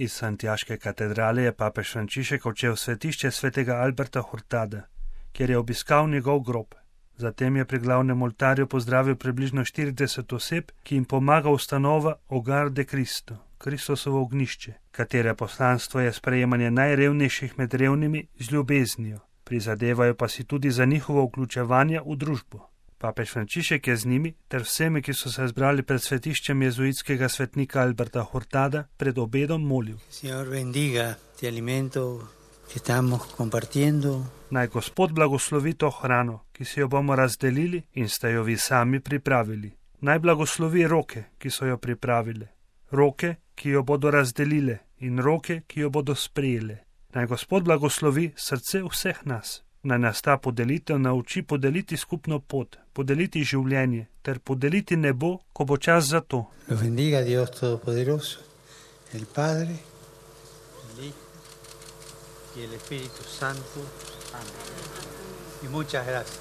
Iz Santiaške katedrale je papež Frančišek odšel v svetišče svetega Alberta Hurtada, kjer je obiskal njegov grob. Zatem je pri glavnem oltarju pozdravil približno 40 oseb, ki jim pomaga ustanova Hogar de Cristo, Kristusovo ognjišče, katere poslanstvo je sprejemanje najrevnejših med revnimi z ljubeznijo, prizadevajo pa si tudi za njihovo vključevanje v družbo. Papež Frančišek je z njimi ter vsemi, ki so se zbrali pred svetiščem jezuitskega svetnika Alberta Hurtada, pred obedom molil. Naj Gospod blagoslovi to hrano, ki si jo bomo razdelili in ste jo vi sami pripravili. Naj blagoslovi roke, ki so jo pripravile, roke, ki jo bodo razdelile in roke, ki jo bodo sprejele. Naj Gospod blagoslovi srce vseh nas. Naj nas ta podelitev nauči podeliti skupno pot, podeliti življenje ter podeliti nebo, ko bo čas za to. Los bendiga Dios Todopoderoso, el Padre, el Hijo y el Espíritu Santo. Amén. Y muchas gracias.